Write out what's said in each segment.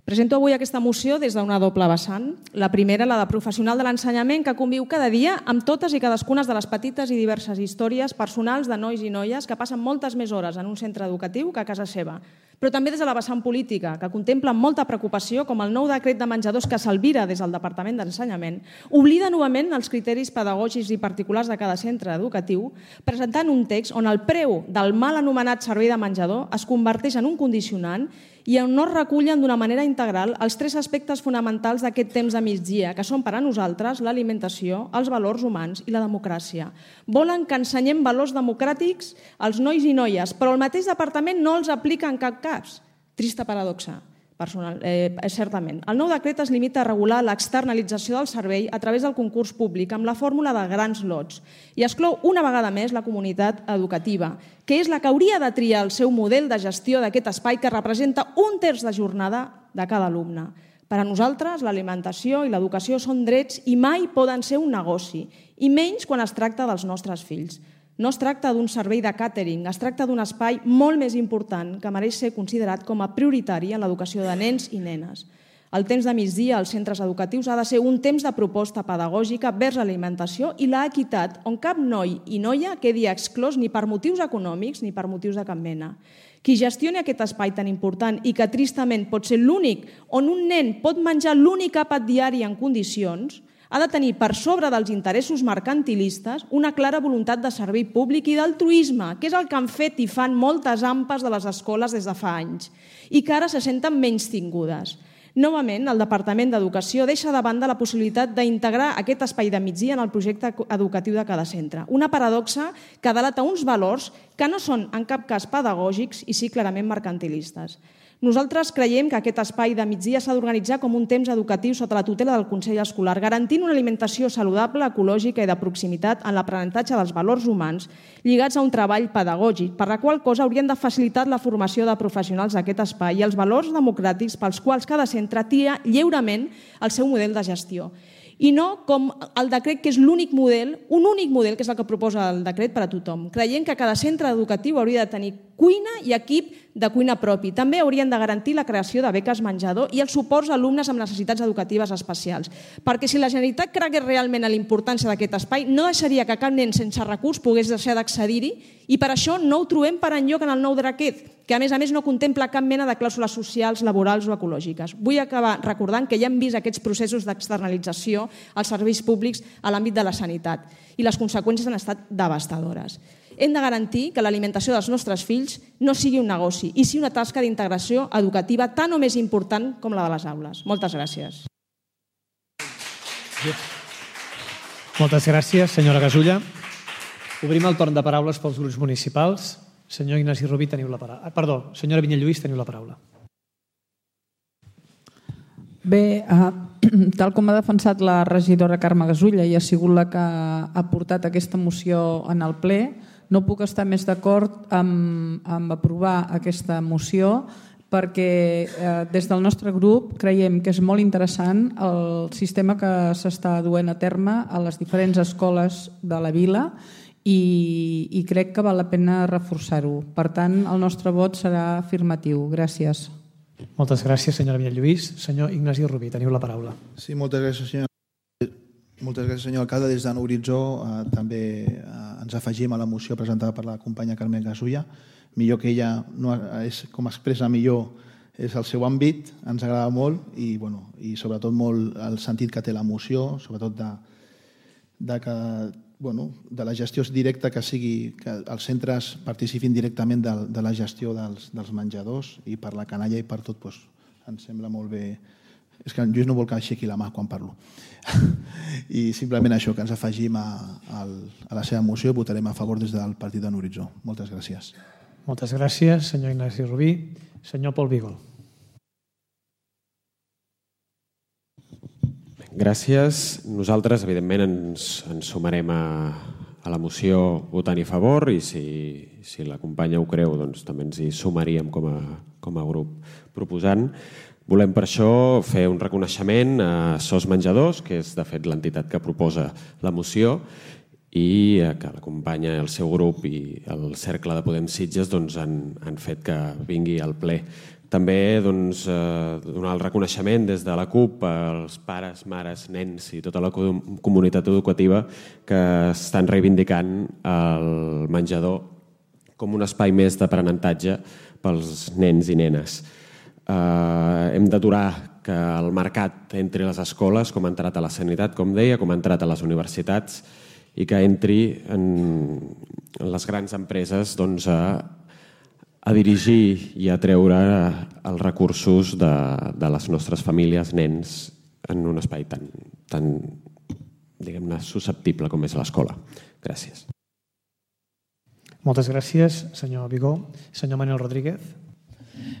Presento avui aquesta moció des d'una doble vessant. La primera, la de professional de l'ensenyament, que conviu cada dia amb totes i cadascuna de les petites i diverses històries personals de nois i noies que passen moltes més hores en un centre educatiu que a casa seva. Però també des de la vessant política, que contempla amb molta preocupació com el nou decret de menjadors que s'albira des del Departament d'Ensenyament oblida novament els criteris pedagògics i particulars de cada centre educatiu, presentant un text on el preu del mal anomenat servei de menjador es converteix en un condicionant i on no es recullen d'una manera integral els tres aspectes fonamentals d'aquest temps de migdia, que són per a nosaltres l'alimentació, els valors humans i la democràcia. Volen que ensenyem valors democràtics als nois i noies, però el mateix departament no els aplica en cap cas. Trista paradoxa. Certament. El nou decret es limita a regular l'externalització del servei a través del concurs públic amb la fórmula de grans lots i exclou una vegada més la comunitat educativa, que és la que hauria de triar el seu model de gestió d'aquest espai que representa 1/3 de jornada de cada alumne. Per a nosaltres, l'alimentació i l'educació són drets i mai poden ser un negoci, i menys quan es tracta dels nostres fills. No es tracta d'un servei de càtering, es tracta d'un espai molt més important que mereix ser considerat com a prioritari en l'educació de nens i nenes. El temps de migdia als centres educatius ha de ser un temps de proposta pedagògica vers l'alimentació i l'equitat, on cap noi i noia quedi exclòs ni per motius econòmics ni per motius de cap mena. Qui gestioni aquest espai tan important i que tristament pot ser l'únic on un nen pot menjar l'únic àpat diari en condicions, ha de tenir per sobre dels interessos mercantilistes una clara voluntat de servei públic i d'altruisme, que és el que han fet i fan moltes AMPAs de les escoles des de fa anys i que ara se senten menystingudes. Novament, el Departament d'Educació deixa de banda la possibilitat d'integrar aquest espai de migdia en el projecte educatiu de cada centre. Una paradoxa que delata uns valors que no són en cap cas pedagògics i sí clarament mercantilistes. Nosaltres creiem que aquest espai de migdia s'ha d'organitzar com un temps educatiu sota la tutela del Consell Escolar, garantint una alimentació saludable, ecològica i de proximitat en l'aprenentatge dels valors humans lligats a un treball pedagògic, per la qual cosa haurien de facilitar la formació de professionals d'aquest espai i els valors democràtics pels quals cada centre tria lliurement el seu model de gestió. I no com el decret, que és l'únic model, un únic model, que és el que proposa el decret per a tothom. Creiem que cada centre educatiu hauria de tenir cuina i equip de cuina propi. També haurien de garantir la creació de beques menjador i els suports a alumnes amb necessitats educatives especials. Perquè si la Generalitat cregués realment en la importància d'aquest espai, no deixaria que cap nen sense recurs pogués deixar d'accedir-hi i per això no ho trobem per enlloc en el nou decret, que a més no contempla cap mena de clàusules socials, laborals o ecològiques. Vull acabar recordant que ja hem vist aquests processos d'externalització als serveis públics a l'àmbit de la sanitat i les conseqüències han estat devastadores. Hem de garantir que l'alimentació dels nostres fills no sigui un negoci i sigui una tasca d'integració educativa tan o més important com la de les aules. Moltes gràcies. Moltes gràcies, senyora Gasulla. Obrim el torn de paraules pels grups municipals. Senyor Ignasi Rubí, teniu la paraula. Perdó, senyora Vinyet Lluís, teniu la paraula. Bé, tal com ha defensat la regidora Carme Gasulla i ha sigut la que ha portat aquesta moció en el ple, no puc estar més d'acord amb aprovar aquesta moció perquè des del nostre grup creiem que és molt interessant el sistema que s'està duent a terme a les diferents escoles de la vila i crec que val la pena reforçar-ho. Per tant, el nostre vot serà afirmatiu. Gràcies. Moltes gràcies, senyora Vinyet Lluís. Senyor Ignasi Rubí, teniu la paraula. Sí, moltes gràcies, senyor alcalde. Des de Nou Horitzó també ens afegim a la moció presentada per la companya Carme Gasulla. Millor que ella, com expressa millor, és el seu àmbit, ens agrada molt i sobretot molt el sentit que té la moció, sobretot de la gestió directa, que sigui que els centres participin directament de la gestió dels menjadors i per la canalla i per tot, ens sembla molt bé. És que en Lluís no vol que aixequi la mà quan parlo. I simplement això, que ens afegim a la seva moció i votarem a favor des del partit de Nou Horitzó. Moltes gràcies. Moltes gràcies, senyor Ignasi Rubí. Senyor Pol Vigol. Gràcies. Nosaltres, evidentment, ens sumarem a la moció votant a favor i si la companya ho creu, doncs també ens hi sumaríem com a grup proposant. Volem per això fer un reconeixement a SOS Menjadors, que és de fet l'entitat que proposa la moció, i que la companya, el seu grup i el Cercle de Podem Sitges han fet que vingui al ple També donar el reconeixement des de la CUP als pares, mares, nens i tota la comunitat educativa que estan reivindicant el menjador com un espai més d'aprenentatge pels nens i nenes. Hem d'aturar que el mercat entri a les escoles, com ha entrat a la sanitat, com deia, com ha entrat a les universitats, i que entri en les grans empreses a dirigir i a treure els recursos de les nostres famílies, nens, en un espai tan diguem-ne, susceptible com és l'escola. Gràcies. Moltes gràcies, senyor Vigó. Senyor Manuel Rodríguez.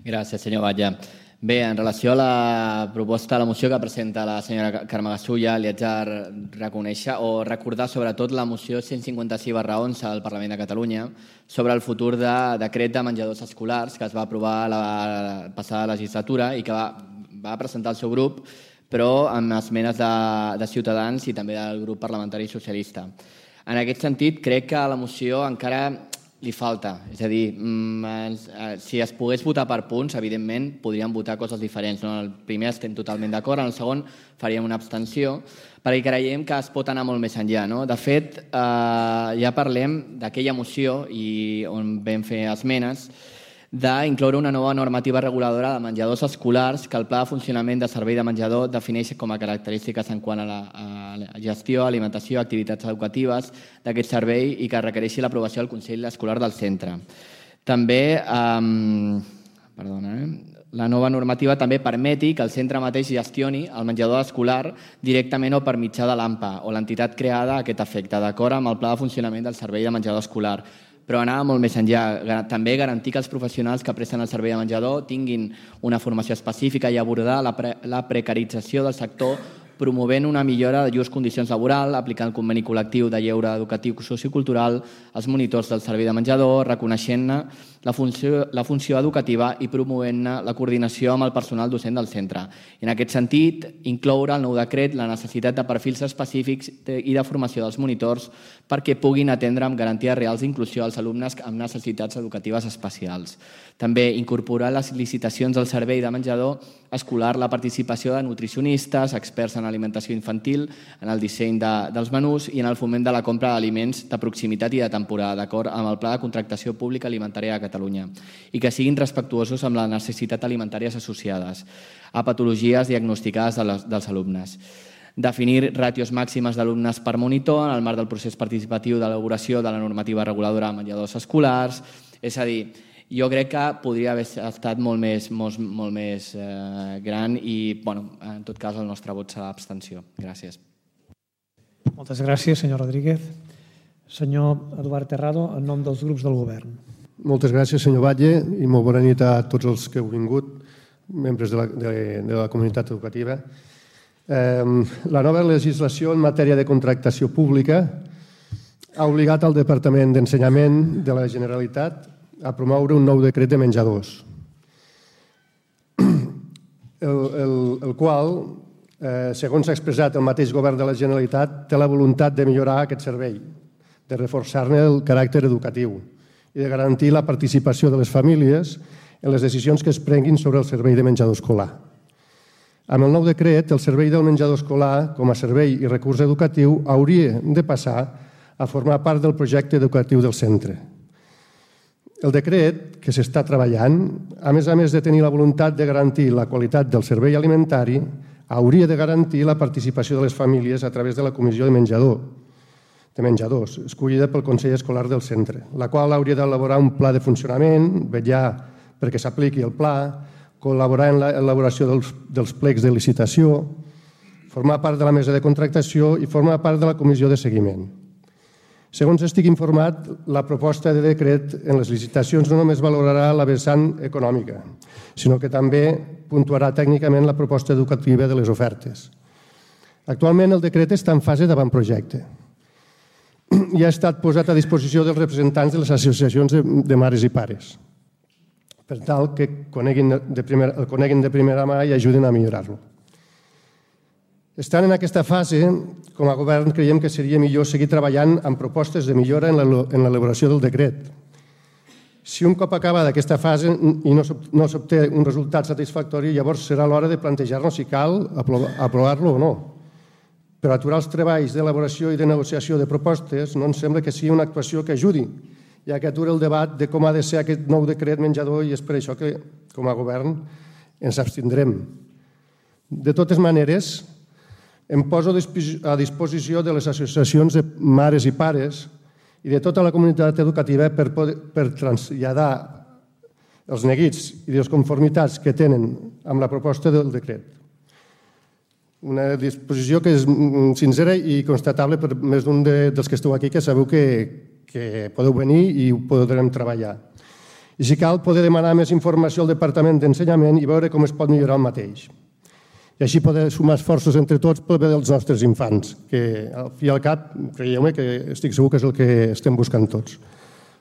Gràcies, senyor Batlle. Bé, en relació a la proposta, a la moció que presenta la senyora Carme Gasulla, li haig de reconèixer o recordar sobretot la moció 156/11 del Parlament de Catalunya sobre el futur de decret de menjadors escolars que es va aprovar la passada legislatura i que va presentar el seu grup, però amb esmenes de Ciutadans i també del grup parlamentari socialista. En aquest sentit, crec que a la moció encara li falta. És a dir, si es pogués votar per punts, evidentment podríem votar coses diferents. En el primer estem totalment d'acord, en el segon faríem una abstenció, perquè creiem que es pot anar molt més enllà. De fet, ja parlem d'aquella moció on vam fer esmenes d'incloure una nova normativa reguladora de menjadors escolars que el Pla de Funcionament de Servei de Menjador defineix com a característiques en quant a la gestió, alimentació, activitats educatives d'aquest servei i que requereixi l'aprovació del Consell Escolar del centre. També, la nova normativa també permeti que el centre mateix gestioni el menjador escolar directament o per mitjà de l'AMPA o l'entitat creada a aquest efecte, d'acord amb el Pla de Funcionament del Servei de Menjador Escolar. Però anava molt més enllà. També garantir que els professionals que presten el servei de menjador tinguin una formació específica i abordar la precarització del sector promovent una millora de llurs condicions laborals, aplicant el conveni col·lectiu de lleure educatiu sociocultural als monitors del servei de menjador, reconeixent-ne la funció educativa i promovent-ne la coordinació amb el personal docent del centre. I en aquest sentit, incloure al nou decret la necessitat de perfils específics i de formació dels monitors perquè puguin atendre amb garanties reals d'inclusió als alumnes amb necessitats educatives especials. També incorporar les licitacions del servei de menjador escolar la participació de nutricionistes, experts en alimentació infantil, en el disseny dels menús i en el foment de la compra d'aliments de proximitat i de temporada, d'acord amb el Pla de Contractació Pública Alimentària de Catalunya, i que siguin respectuosos amb les necessitats alimentàries associades a patologies diagnosticades dels alumnes. Definir ràtios màximes d'alumnes per monitor en el marc del procés participatiu d'elaboració de la normativa reguladora de menjadors escolars. És a dir, jo crec que podria haver estat molt més gran i, en tot cas, el nostre vot serà abstenció. Gràcies. Moltes gràcies, senyor Rodríguez. Senyor Eduard Terrado, en nom dels grups del govern. Moltes gràcies, senyor Batlle, i molt bona nit a tots els que heu vingut, membres de la comunitat educativa. La nova legislació en matèria de contractació pública ha obligat el Departament d'Ensenyament de la Generalitat a promoure un nou decret de menjadors, el qual, segons s'ha expressat el mateix govern de la Generalitat, té la voluntat de millorar aquest servei, de reforçar-ne el caràcter educatiu i de garantir la participació de les famílies en les decisions que es prenguin sobre el servei de menjador escolar. Amb el nou decret, el servei del menjador escolar, com a servei i recurs educatiu, hauria de passar a formar part del projecte educatiu del centre. El decret que s'està treballant, a més de tenir la voluntat de garantir la qualitat del servei alimentari, hauria de garantir la participació de les famílies a través de la comissió de menjadors, escollida pel Consell Escolar del centre, la qual hauria d'elaborar un pla de funcionament, vetllar perquè s'apliqui el pla, col·laborar en l'elaboració dels plecs de licitació, formar part de la mesa de contractació i formar part de la comissió de seguiment. Segons estic informat, la proposta de decret en les licitacions no només valorarà la vessant econòmica, sinó que també puntuarà tècnicament la proposta educativa de les ofertes. Actualment el decret està en fase d'avantprojecte i ha estat posat a disposició dels representants de les associacions de mares i pares, per tal que el coneguin de primera mà i ajudin a millorar-lo. Estant en aquesta fase, com a govern creiem que seria millor seguir treballant amb propostes de millora en l'elaboració del decret. Si un cop acabada aquesta fase i no s'obté un resultat satisfactori, llavors serà l'hora de plantejar-nos si cal aprovar-lo o no. Per aturar els treballs d'elaboració i de negociació de propostes no ens sembla que sigui una actuació que ajudi, ja que atura el debat de com ha de ser aquest nou decret menjador i és per això que, com a govern, ens abstindrem. De totes maneres, em poso a disposició de les associacions de mares i pares i de tota la comunitat educativa per traslladar els neguits i les conformitats que tenen amb la proposta del decret. Una disposició que és sincera i constatable per més d'un dels que esteu aquí, que sabeu que podeu venir i ho podrem treballar. I si cal, poder demanar més informació al Departament d'Ensenyament i veure com es pot millorar el mateix. I així poder sumar esforços entre tots pel bé dels nostres infants, que al fi i al cap, creieu-me que estic segur que és el que estem buscant tots.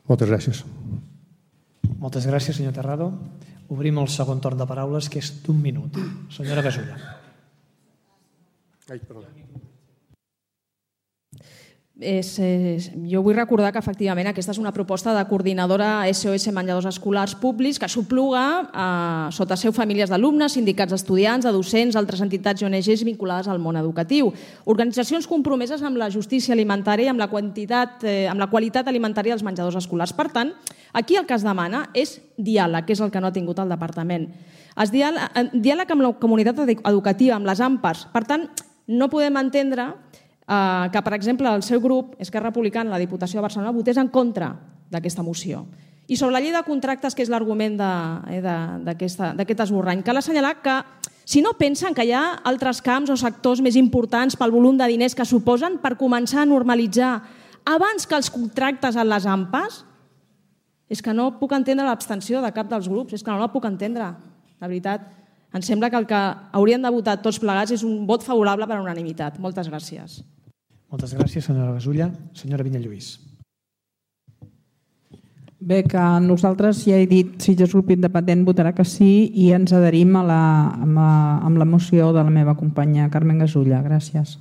Moltes gràcies. Moltes gràcies, senyor Terrado. Obrim el segon torn de paraules, que és d'un minut. Senyora Gasulla. Ai, perdó. Jo vull recordar que efectivament aquesta és una proposta de coordinadora SOS Menjadors Escolars Públics que s'opluga sota seu famílies d'alumnes, sindicats d'estudiants, de docents, altres entitats i ONGs vinculades al món educatiu. Organitzacions compromeses amb la justícia alimentària i amb la qualitat alimentària dels menjadors escolars. Per tant, aquí el que es demana és diàleg, que és el que no ha tingut el departament. Diàleg amb la comunitat educativa, amb les AMPAs. Per tant, no podem entendre que, per exemple, el seu grup, Esquerra Republicana, la Diputació de Barcelona, votés en contra d'aquesta moció. I sobre la llei de contractes, que és l'argument d'aquest esborrany, cal assenyalar que si no pensen que hi ha altres camps o sectors més importants pel volum de diners que suposen per començar a normalitzar abans que els contractes en les AMPAs, és que no puc entendre l'abstenció de cap dels grups, és que no la puc entendre. La veritat, em sembla que el que haurien de votar tots plegats és un vot favorable per unanimitat. Moltes gràcies. Moltes gràcies, senyora Gasulla. Senyora Vinyalluís. Bé, que nosaltres, ja he dit, Sitges Grup Independent votarà que sí i ens adherim amb la moció de la meva companya Carmen Gasulla. Gràcies.